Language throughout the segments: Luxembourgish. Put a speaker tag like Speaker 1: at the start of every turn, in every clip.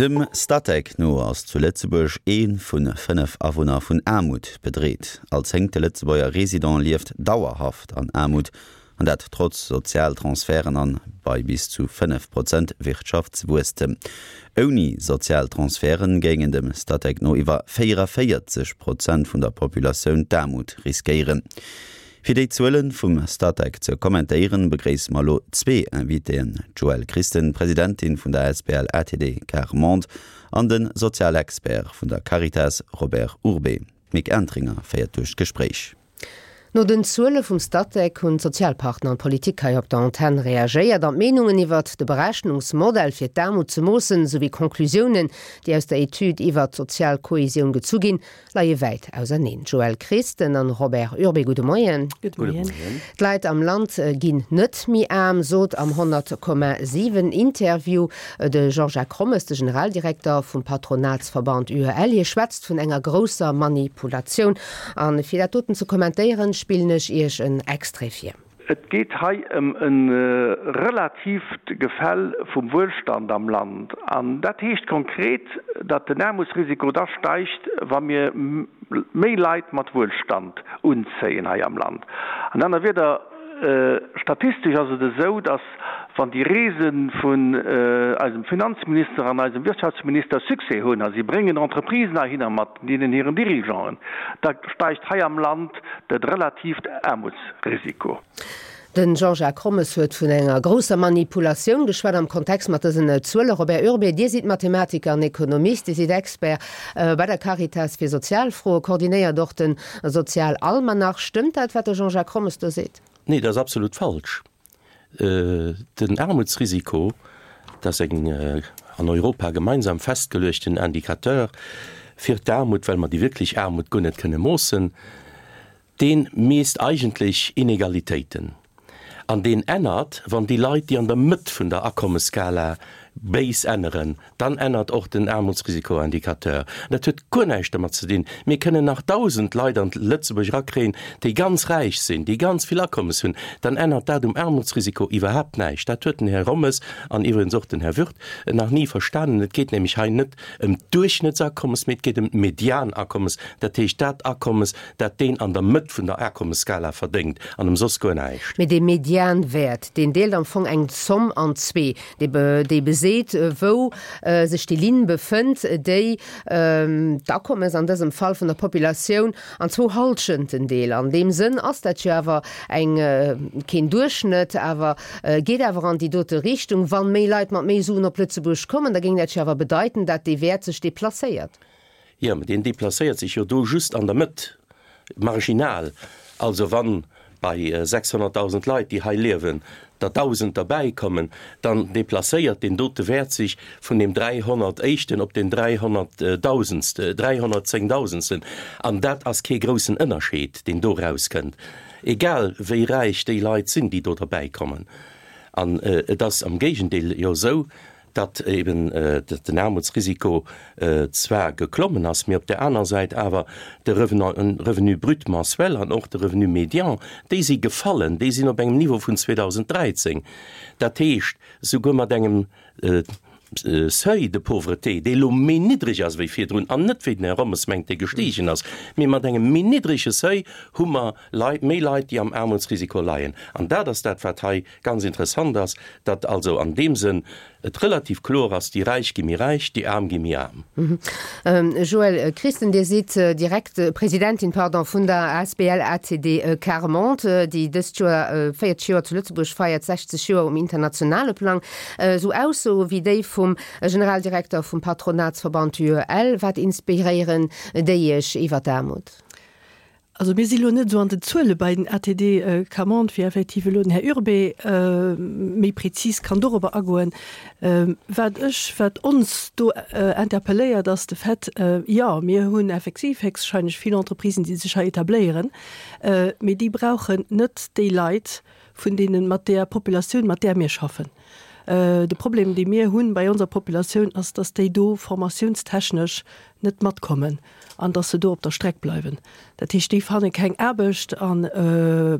Speaker 1: Dem Statec no ass zu Lëtzebuerg ee vu 5 Awunner vun Aarmut bedreet. All zéngte Lëtzebuerger Resident lieft dauerhaft an Aarmut, an dat trotz Sozialtransferten an bei bis zu 5 Prozent Wirtschaftswuesstem. Ouni Sozialtransferte géingen dem Statec no iwwer 44 Prozent vun der Populatioun d'Aarmut riskéieren. Fir déi Zuele vum Statec ze kommentéieren, begréisse mer elo zwee Invitéen, d'Joëlle Christen, Presidentin vun der asbl ATD Quart Monde an de Sozialexpert vun der Caritas Robert Urbé. D'Mick Entringer féiert duerch d'Gespréich.
Speaker 2: No den Zuele vum Statec hunn d'Sozialpartner an d'Politik hei op der Antenn reagéiert an d'Meenungen iwwert de Berechnungsmodell fir d'Aarmut ze moossen, souwéi Conclusiounen, déi aus der Etüd iwwert d'sozial Kohesioun gezu ginn, leie wäit auserneen. Joëlle Christen an Robert Urbé, gudde Moien.
Speaker 3: Gudde Moien.
Speaker 2: D'Leit am Land ginn net méi aarm, sot am 100,7 Interview de Jean-Jacques Rommes, de Generaldirekter vum Patronatsverband UEL. Hie schwätzt vun enger grousser Manipulatioun. A fir dat doten ze kommentéieren, spillen ech Iech en Extrait vir.
Speaker 4: Et geet hei ëm e relatiivt Gefäll vum Wuelstand am Land. An dat heescht konkret, datt den Aarmutsrisiko da steigt, wa mir méi Leit mat Wuelstand unzéien hei am Land. An aner Wieder, statistesch ass et esou, datt wann déi Reese vun eisem Finanzminister an eisem Wirtschaftsminister Succès hunn a si bréngen Entreprisen heihinner mat deenen hiren Dirigeanten, da steigt hei am Land dat relatiivt Aarmutsrisiko.
Speaker 2: De Jean-Jacques Rommes huet vun enger grousser Manipulatioun geschwat am Kontext mat dësen Zuelen. Robert Urbé, Dir sidd Mathematiker an Ekonomist, Dir sidd Expert bei der Caritas fir Sozialfroen, koordinéiert och de Sozialalmanach. Stëmmt dat, wat de Jean-Jacques Rommes do seet?
Speaker 5: Nee, dat ass absolut falsch. Den Aarmutsrisiko, dat ass eng an Europa gemeinsam festgeluechten Indicateur fir d'Aarmut, well mer déi wierklech Aarmut guer net kënne moossen, dee miisst eigentlech Inegalitéiten. An deen ännert, wann déi Leit, déi an der Mëtt vun der Akommesskala béis änneren, Dann ännert och den Aarmutsrisikoindicateur. Dat huet guer näischt domat ze dinn. Mir kënnen nach 1.000 Leit an Lëtzebuerg erakréien, déi ganz räich sinn, déi ganz vill Akommes hunn. Dann ännert dat um Aarmutsrisiko iwwerhaapt näischt. Dat huet den Här Rommes an iwwregens och den Här Würth nach ni verstanen. Et geet nämlech hei net ëm d'Duerchschnëttsakommes, mee et geet ëm d'Medianakommes, dat heescht dat Akommes, dat deen an der Mëtt vun der Akommesskala verdéngt an ëm soss guer näischt.
Speaker 2: Mee dee Medianwäert, deen deelt am Fong eng Zomm an zwee. Déi beseet, wou sech déi Linn befënnt, déi d'Akommes, an dësem Fall vun der Populatioun, an zwou Hallschenten deelt. An deem Sënn ass dat jo awer eng, keen Duerchschnëtt, awer geet awer an déi dote Richtung. Wann méi Leit mat méi Suen op Lëtzebuerg kommen, da géing dat jo awer bedeiten, dat dee Wäert sech deplacéiert.
Speaker 5: Jo, mä deen deplacéiert sech jo do just an der Mëtt, marginal. Also wann bei 600.000 Leit, déi hei liewen, der 1.000 derbäikommen, dann deplacéiert deen dote Wäert sech vun deem 300 éischten op deen 300.000, 310.000. An dat ass kee groussen Ënnerscheed, deen do erauskënnt, egal wéi räich déi Leit sinn, déi do derbäikommen. An et ass am Géigendeel jo esou, datt eben den Aarmutsrisiko zwar geklommen ass, mee op där aner Säit awer de Revenu brut mensuel an och de Revenu médian, déi si gefallen, déi sinn op engem Niveau vun 2013. Dat heescht, souguer mat engem Seuil de pauvreté, dee elo méi niddreg ass wéi virdrun, an net wéi den Här Rommes mengt, dee gestiegen ass, mee mat engem méi niddrege Seuil hu mer Leit, méi Leit, déi am Aarmutsrisiko leien. An dat ass dat, wat hei Ganz interessant ass, datt also an deem Sënn et relativ kloer ass, déi Räich gi méi räich, déi Aarm gi méi aarm.
Speaker 2: Joëlle Christen, Dir sidd direkt, Presidentin, pardon, vun der asbl ACD Quart Monde, déi dëst Joer 40 Joer zu Lëtzebuerg feiert, 60 Joer um internationale Plang. Esou Aussoe wéi déi vum Generaldirekter vum Patronatsverband UEL, wat inspiréieren déi Iech iwwer d'Aarmut?
Speaker 3: Also mir si lo net esou an den Zuele bei den ATD Camonde, wéi effektiv elo den Här Urbé méi prezis kann dorobber agoen. Wat ech, wat ons do interpelléiert, ass de Fait, jo, mir hunn effektiv héchstwahrscheinlech vill Entreprisen, déi sech hei etabléieren, mee déi brauchen net déi Leit vun deenen, mat där Populatioun, mat där mir schaffen. De Problem, dee mir hunn bei onser Populatioun, ass, dass déi do formatiounstechnesch. net matkommen an dass se do op der Streck bleiwen. Dat heescht, déi fanne keng Aarbecht a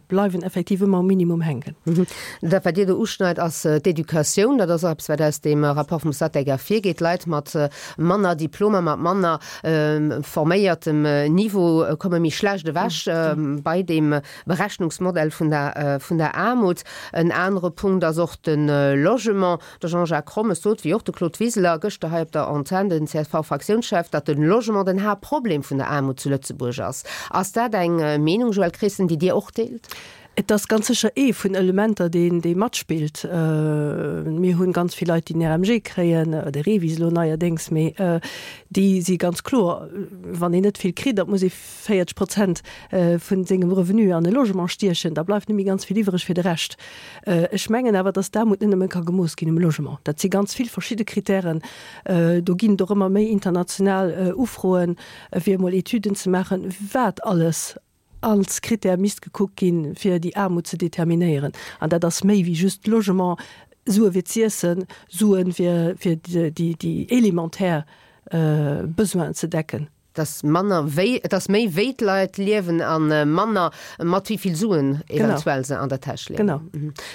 Speaker 3: bleiwen effektiv ëmmer um Minimum hänken.
Speaker 2: Dat, wat Dir do uschneit, ass d'Educatioun. Dat ass och eppes, wat aus deem Rapport vum Statec ervirgeet. Leit mat manner Diplomer, mat manner forméiertem Niveau komme méi schlecht ewech bei deem Berechnungsmodell vun der, vun der Aarmut. En anere Punkt ass och de Logement. De Jean-Jacques Rommes sot, wéi och de Claude Wiseler gëschter hei op der Antenn, den CSV-Fraktiounschef, datt de Logement den Haaptproblem vun der Aarmut zu Lëtzebuerg ass. Ass dat eng Meenung, Joëlle Christen, déi Dir och deelt?
Speaker 3: Et ass ganz sécher ee vun Elementer, deen, dee matspillt. Mir hunn ganz vill Leit, déi den RMG kréien, de REVIS elo neierdéngs, mee déi si ganz kloer, wann een net vill kritt, da muss ee 40 Prozent vun sengem Revenu an e Logement stiechen, da bleift net méi ganz vill iwwereg fir de Rescht. Ech mengen awer, dass d'Aarmut net nëmme ka gemooss ginn um Logement. Dat si ganz vill verschidde Kritären. Do ginn et och ëmmer méi international Ufroen, fir emol Etüden ze maachen, wat alles als Kritär misst gekuckt ginn, fir déi Aarmut ze determinéieren. An dat ass méi wéi just Logement, Sue fir z'iessen, Sue fir déi elementär Besoinen ze decken.
Speaker 2: Et ass manner wéi, et ass méi wéi d'Leit liewen a manner mat wéi vill Suen eventuell se an der Täsch leeën.
Speaker 3: Genau.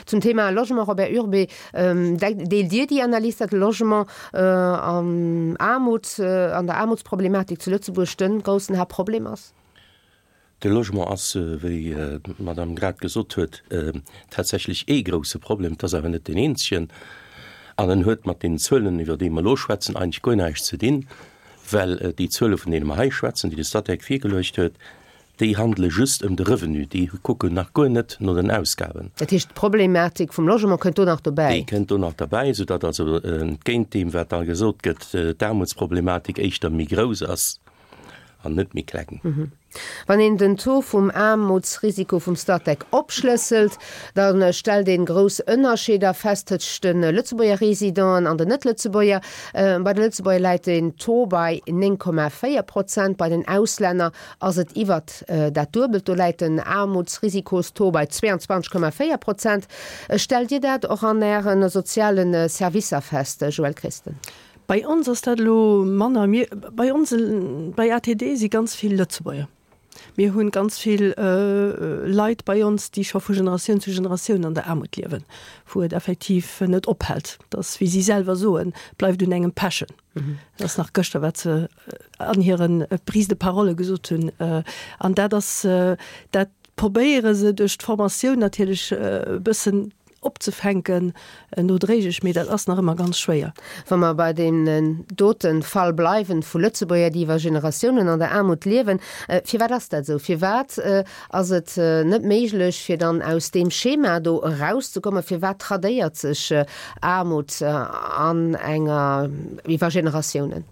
Speaker 2: Zum Thema Logement, Robert Urbé, deelt Dir déi Analys, datt de Logement am Aarmut, an der Aarmutsproblematik zu Lëtzebuerg de groussen Haaptproblem ass?
Speaker 5: De Logement ass, wéi d'Madame grad gesot huet, tatsächlech ee grouse Problem. Et ass awer net deen eenzegen. An en huet mat deenen Zuelen, iwwer déi mer elo schwätzen, eigentlech guer näischt ze dinn, well déi Zuele vun deene mer hei schwätzen, déi de Statec virgeluecht huet, déi handele just ëm de Revenu, déi kucken nach guer net no den Ausgaben.
Speaker 2: Dat heescht, d'Problematik vum Logement kënnt do nach dobäi?
Speaker 5: Déi kënnt do nach derbäi, soudatt also entgéint deem, wat da gesot gëtt, d'Aarmutsproblematik éischter méi grouss ass. an net méi kleng.
Speaker 2: Wann een den Taux vum Aarmutsrisiko vum Statec opschlësselt, da stellt een grouss Ënnerscheeder fest tëscht de Lëtzebuerger Residenten an den Net-Lëtzebuerger. Bei de Lëtzebuerger läit den Taux bei 9,4 Prozent, bei den Auslänner ass et iwwert dat Duebelt, do läit den Aarmutsrisikostaux bei 22,4 Prozent. Stellt Dir dat och an Äre soziale Servicer fest, Joëlle Christen?
Speaker 3: Bei ons ass dat elo manner. Mir, bei ons, bei ATD si ganz vill Lëtzebuerger. Mir hunn ganz vill Leit bei ons, déi scho vu Generatioun zu Generatioun an der Aarmut liewen, wou et effektiv net ophält. Dat ass, wéi si selwer soen, bleift un engem pechen. Dat ass nach gëschter, wat se an hire Prise de parole gesot hunn. An dat ass, dat probéiere se duerch d'Formatioun natierlech e bëssen opzefänken nodréiglech, mee dat ass nach ëmmer ganz schwéier.
Speaker 2: Wa mer bei deem dote Fall bleiwen, vu Lëtzebuerger, déi iwwer Generatiounen an der Aarmut liewen, firwat ass dat esou? Firwat ass et net méiglech, fir dann aus deem Schema do erauszekommen? Firwat tradéiert sech Aarmut an enger iwwer Generatiounen?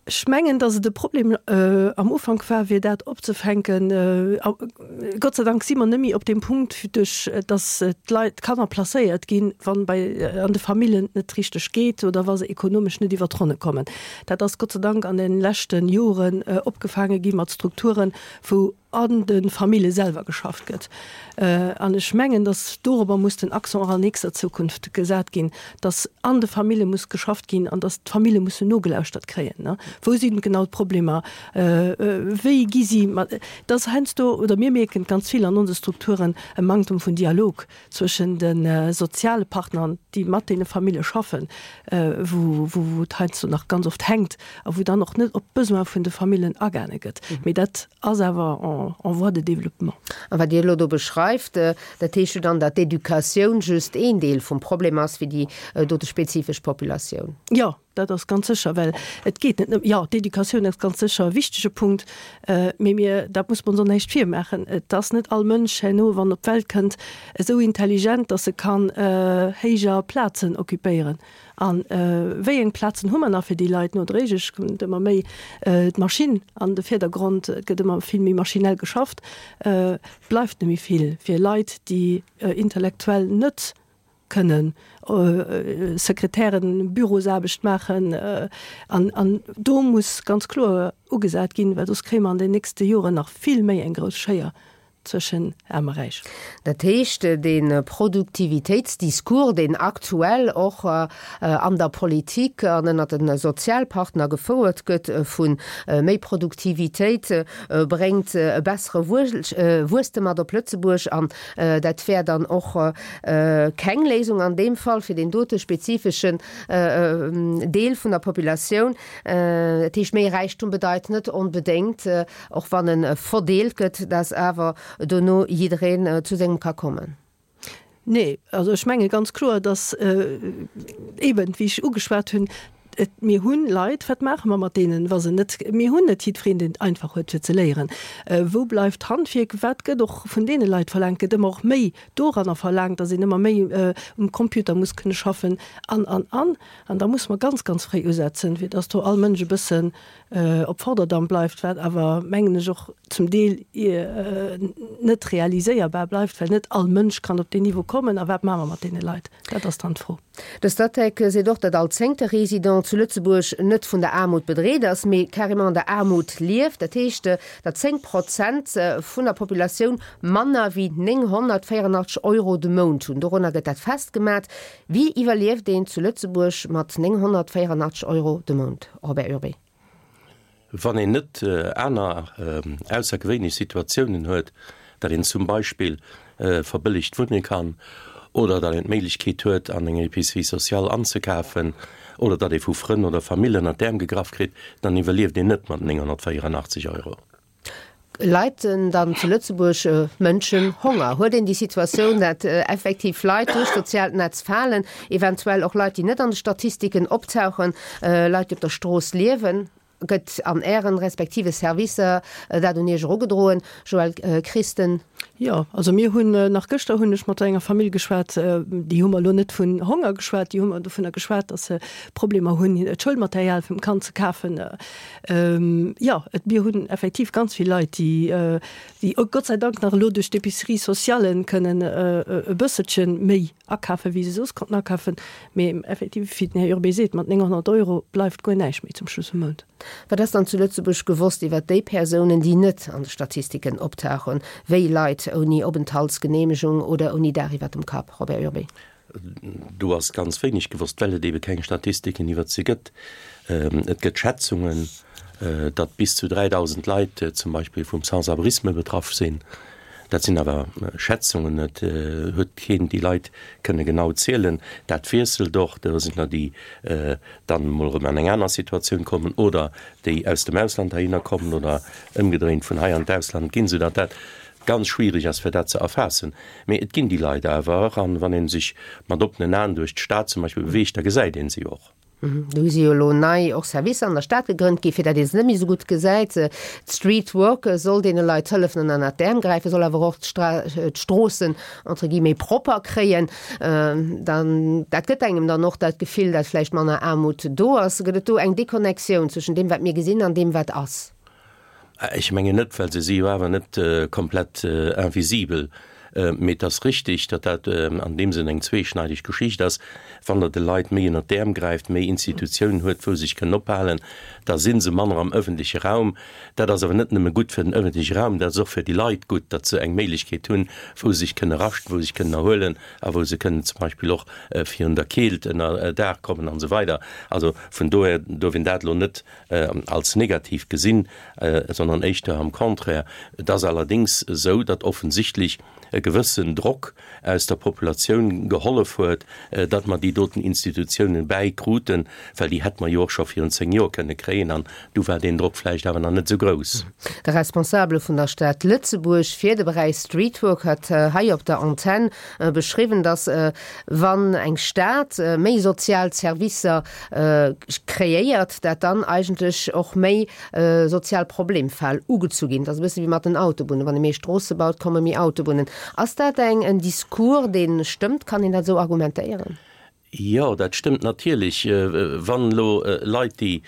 Speaker 3: Ech mengen, datt et e Problem am Ufank war, fir dat opzefänken. Gott sei Dank si mer net méi op deem Punkt, duerch datt d'Leit, d'Kanner placéiert ginn, wann bei an de Famillen et net richteg geet oder wa se ekonomesch net iwwer d'Ronne kommen. Dat ass Gott sei Dank an de leschte Joren opgefaange gi mat Strukturen, wou an de Famille selwer geschafft gëtt. An ech mengen, datt dorobber muss den Accent och an nächster Zukunft gesat ginn, datt an de Famille muss geschafft ginn an datt d'Famille mussen nogelauschtert kréien. Wou sinn genau d'Problemer? Wéi gi si mat? Et ass heiansdo, oder mir mierken et ganz vill an onse Strukturen, e Manktum vun Dialog zwëschen de soziale Partnern, déi mat deene Famille schaffen, wou et heiansdo nach ganz oft hänkt a wou dann och net op d'Besoin vun de Famillen agaange gëtt. Mee dat ass awer en voie de développement.
Speaker 2: A wat Dir elo do beschreift, dat heescht jo dann, datt d'Educatioun just een Deel vum Problem ass fir déi dote spezifesch Populatioun.
Speaker 3: Jo, dat ass ganz sécher, well et geet net nëmme, jo, d'Educatioun ass ganz sécher e wichtege Punkt, mee mir, dat muss mer ons och näischt virmaachen, et ass net all Mënsch herno, wann op d'Welt kënnt, esou intelligent, datt e kann héijer Plazen occupéieren. A wéi eng Plazen hu mer nach fir déi Leit? Nodréiglech kënnt ëmmer méi d'Maschinn an de Virdergrond, et gëtt ëmmer vill méi maschinell geschafft, et bleift net méi vill fir Leit, déi intellektuell net kënnen Sekretären, Bürosaarbecht maachen. An, an do muss ganz kloer ugesat ginn, well soss kréie mer an den nächste Joren nach vill méi eng grouss Schéier. Zwëschen Aarm a Räich.
Speaker 2: Dat heescht, dee Produktivitéitsdiscours, deen aktuell och an der Politik an ënnert de Sozialpartner gefouert gëtt, vu méi Produktivitéit bréngt e bessere Wuesstem mat op Lëtzebuerg an dat wär dann och keng Léisung an deem Fall fir deen dote spezifeschen Deel vun der Populatioun. Dat heescht, méi Räichtum bedeit net onbedéngt, Och wann e verdeelt gëtt, dass awer dono jiddereen zu sengem ka kommen.
Speaker 3: Nee, also ech menge ganz kloer, dass eeben, wéi ech ugeschwat hunn, et, mir hu Leit, wat maache mer mat deenen, wa se net, mir hunn net jiddwereen, deen et einfach huet fir ze léieren. Wou bleift d'Handwierk? Wat gëtt och vun deene Leit verlaangt? Gëtt ëmmer och méi doranner verlaangt, dass een ëmmer méi um Computer muss kënne schaffen an, an, an. An da musse mer ganz, ganz fréi usetzen, fir dass do all Mënsch e bëssen op Vorderdamm bleift, wat awer, mengen ech, och zum Deel net realiséierbar bleift, well net all Mënsch kann op deen Niveau kommen. A wat maache mer mat deene Leit? Dat ass dann d'Fro.
Speaker 2: De Statec seet och, datt all zéngte Resident zu Lëtzebuerg net vun der Aarmut bedreet ass, mee carrément an der Aarmut lieft. Dat heescht, datt 10 Prozent vun der Populatioun manner wéi 984 Euro de Mount hunn. Dorunner gëtt dat festgemat. Wéi iwwerlieft een zu Lëtzebuerg mat 984 Euro de Mount, Robert Urbé?
Speaker 5: Wann een net aner aussergewéinlech Situatiounen huet, datt een zum Beispill verbëllegt wunne kann oder datt een d'Méiglechkeet huet an enger Épicerie sociale anzekafen oder datt ee vu Frënn oder Famill ënnert d'Äerm gegraff kritt, dann iwwerlieft een net mat 984 Euro.
Speaker 2: Leiden dann zu Lëtzebuerg Mënschen Honger? Huet een déi Situatioun, dat effektiv Leit duerch d'soziaalt Netz falen, eventuell och Leit, déi net an de Statistiken optauchen, Leit, déi op der Strooss liewen? Gëtt an Ären respektive Servicer dat un Iech erugedroen, Joëlle Christen?
Speaker 3: Jo, also mir hunn, nach gëschter hunn ech mat enger Famill geschwat, déi hu mer elo net vun Honger geschwat, déi hu mer dovunner geschwat, datt se Problemer hunn, d'Schoulmaterial vum Kand ze kafen. Jo, et, mir hunn effektiv ganz vill Leit, déi, déi Gott sei Dank nach elo duerch d'Épicerie sociale kënnen e bësselche méi akafen, wéi se soss konnten akafen. Mee effektiv, wéi den Här Urbé seet, mat 900 Euro bleift guer näischt méi zum Schluss vum Mount.
Speaker 2: Wat ass dann zu Lëtzebuerg gewosst iwwert déi Persounen, déi net an de Statistiken optauchen, wéi Leit ouni Openthaltsgeneemegung oder ouni Daach iwwert dem Kapp? Robert Urbé.
Speaker 5: Do ass ganz wéineg gewosst, well et ebe keng Statistiken iwwert se gëtt. Et gëtt Schätzungen, datt bis zu 3.000 Leit zum Beispill vum Sans-abrisme betraff sinn. Dat sinn awer Schätzungen, et huet keen déi Leit kënne genau zielen. Dat wiesselt och, do sinn der, déi dann emol erëm an eng aner Situatioun kommen oder déi aus dem Ausland heihinner kommen oder ëmgedréint vun hei an d'Ausland ginn, soudatt dat ganz schwierig ass fir dat ze erfaassen. Mee et ginn déi Leit awer, an wann ee sech mat oppenen Aen duerch d'Stad zum Beispill beweegt, da gesäit ee se och.
Speaker 2: Do si jo elo nei och Servicer an der Stad gegrënnt gi fir dat ee se net méi esou gutt gesäit. D'Street Work soll deene Leit hëllefen an ënnert d'Äerm gräifen, soll awer och d'Stroossen entre guillemets méi propper kréien. Dann, dat gëtt engem dann och dat Gefill, dat vläicht manner Aarmut do ass. Gëtt et do eng Deconnectioun zwëschen deem wat mir gesinn an deem wat ass?
Speaker 5: Ech mengen net, well se si jo awer net komplett invisibel. Mee et ass richtig, datt dat an deem Sënn eng zweeschneideg Geschicht ass. Wann Der de Leit méi ënnert d'Äerm gräift, méi Institutiounen huet, wou se sech kënnen ophalen, da si se manner am öffentleche Raum. Dat ass awer net nëmme gutt fir den öffentleche Raum, dat ass och fir déi Leit gutt, datt se eng Méiglechkeet hunn, wou se sech kënne raschten, wou se sech kënnen erhuelen a wou se kënnen zum Beispill och virun der Keelt ënner Daach kommen an esou weider. Also vun dohier duerf een dat elo net als negativ gesinn, sondern éischter am Contraire. Et ass allerdéngs esou, datt offensichtlech e gewëssen Drock aus der Populatioun gehollef huet, datt mer déi doten Institutiounen bäikruten, well déi hätte mer jo och scho virun 10 Joer kënne kréien an du war deen Drock vläicht awer nach net esou grouss.
Speaker 2: De Responsabele vun der Stad Lëtzebuerg fir de Beräich Streetwork hat hei op der Antenn beschriwwen, datt wann eng Stad méi sozial Servicer kreéiert, dat dann eigentlech och méi sozial Problemfäll ugezu ginn. Dat ass e bësse wéi mat den Autobunnen, wann ee méi Stroosse baut, komme méi Autobunnen. Ass dat eng en Discours, dee stëmmt? Kann een dat esou argumentéieren?
Speaker 5: Jo, dat stëmmt natierlech. Wann elo Leit, déi,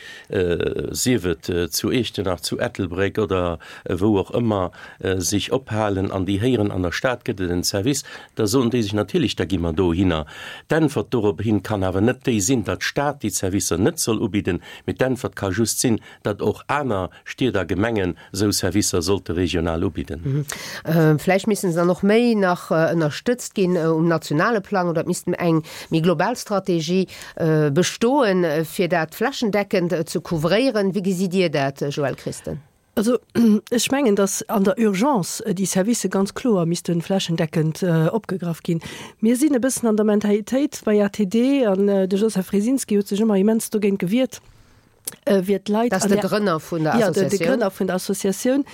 Speaker 5: sief et zu Iechternach, zu Ettelbréck oder wou och ëmmer, sech ophalen an déi héieren, an der Stad gëtt et en Service, da soen déi sech natierlech, da gi mer dohinner. D'Äntwert dorop hin kann awer net déi sinn, datt d'Stad déi Servicer net soll ubidden, mee d'Äntwert ka just sinn, datt och aner Stied a Gemengen esou Servicer sollte regional ubidden.
Speaker 2: Vläicht missten se dann och méi nach ënnerstëtzt ginn um nationale Plang oder et misst eng méi global Strategie bestoen, fir dat flächendeckend ze couvréieren. Wéi gesitt Dir dat, Joëlle Christen?
Speaker 3: Also ech mengen, datt an der Urgence déi Servicë ganz kloer misste flächendeckend opgegraff ginn. Mir sinn e bëssen an der Mentalitéit bei ATD, an de Joseph Wresinski huet sech ëmmer immens dogéint gewiert, wier d'Leit
Speaker 2: an der, de Grënner vun der
Speaker 3: Associatioun, ja, de Grënner vun der Associatioun,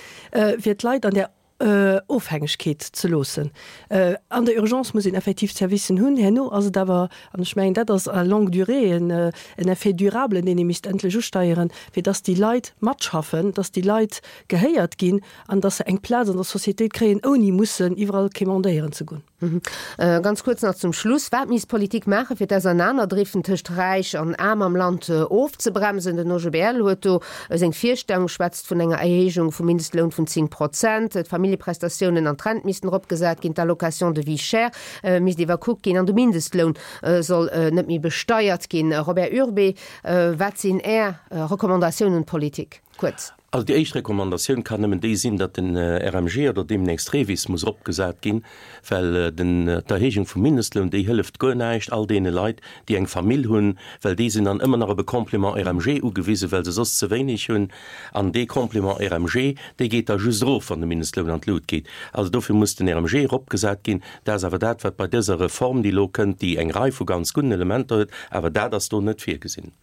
Speaker 3: wier d'Leit an der Ofhängegkeet ze loossen. An der Urgence muss een effektiv d'Servicen hunn. Herno ass et awer, an ech mengen, dat ass à longue durée en effet durable, deen ee misst endlech usteieren, fir dass déi Leit matschaffen, dass déi Leit gehéiert ginn an dass se eng Plaz an der Sociétéit kréien, ouni mussen iwwerall quémandéieren ze goen.
Speaker 2: Ganz kuerz nach zum Schluss, Wat misst d'Politik maachen, fir d'Ausernanerndriften tëscht Räich an Aarm am Land ofzebremsen? Den OGBL huet do seng Virstellung, schwätzt vun enger Erhéijung vum Mindestloun vun 10 Prozent. D'Familljeprestatiounen an d'Rent missten eropgesat ginn, d'Allocation de vie chère misst iwwerkuckt ginn an de Mindestloun soll net méi besteiert ginn. Robert Urbé, wat sinn Är Recommandatiounen un d'Politik? Kuerz.
Speaker 5: Also déi éischt Recommandatioun kann nëmmen déi sinn, datt den RMG oder deemnächst REVIS muss eropgesat ginn, well den, d'Erhéijung vum Mindestloun, déi hëlleft guer näischt all deene Leit, déi eng Famill hunn, well déi sinn dann ëmmer nach op e Complément RMG ugewisen, well se soss ze wéineg hunn. An dee Complément RMG, dee geet da just erof, wann de Mindestloun an d'Lut geet. Also dofir muss den RMG eropgesat ginn. Dat ass awer dat, wat bei dëser Reform, déi elo kënnt, déi eng Rei vu ganz gudden Elementer huet, awer dat ass do net virgesinn.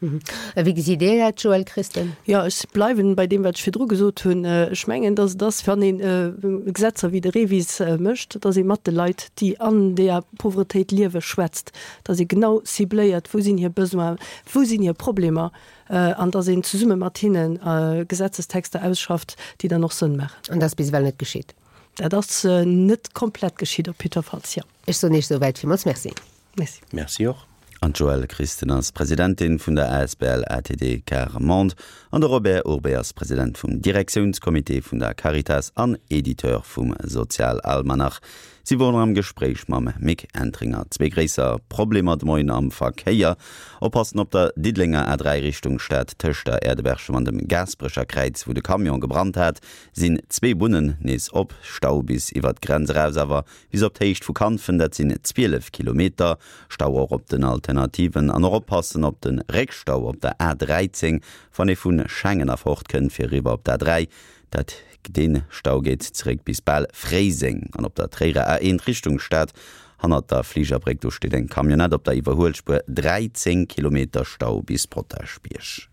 Speaker 2: Wéi gesitt Dir dat, Joëlle Christen?
Speaker 3: Jo, ech bleiwen bei deem, wat ech virdru gesot hunn. Ech mengen, dass et ass, wann ee Gesetzer wéi de REVIS mécht, dass ee mat de Leit, déi an deeër Pauvretéit liewen, schwätzt, dass ee genau cibléiert, wou sinn hir Besoinen, wou sinn hir Problemer, an dass een zesumme mat hinne Gesetzestexter ausschafft, déi dann och Sënn maachen.
Speaker 2: An dat ass bis ewell net geschitt?
Speaker 3: Dat ass net komplett geschitt, op jiddwerfalls, jo.
Speaker 2: Ech soen Iech souwäit villmools Merci.
Speaker 3: Merci.
Speaker 5: Merci och.
Speaker 1: An d'Joëlle Christen ass Presidentin vun der asbl ATD Quart Monde an de Robert Urbé ass President vum Direktiounscomité vun der Caritas an Editeur vum Sozialalmanach. Si woren am Gespréich mam Mick Entringer. Zwee gréisser Problemer de Moien am Verkéier. Oppassen op der Diddelenger A3 Richtung Stad tëscht der Äerdeberchem an dem Gaasperecher Kräiz, wou de Camion gebrannt hat, sinn zwee Bunnen nees op. Stau bis iwwer d'Grenz eraus awer Bis op d'Héicht vu Kanfen, dat sinn 12 Kilometer. Stau och op den Alternativen an och oppassen op de Réckstau op der A 13, wann ee vu Schengen erfort kënnt fir eriwwer op d'A 3. Dat dee Stau geet zeréck bis bal Fréiseng. An op der Tréierer A1 Richtung Stad, hannert der Fligerbréck, do steet eng Camionnette op der Iwwerhuelspuer, 13 Kilometer Stau bis Potaschbierg.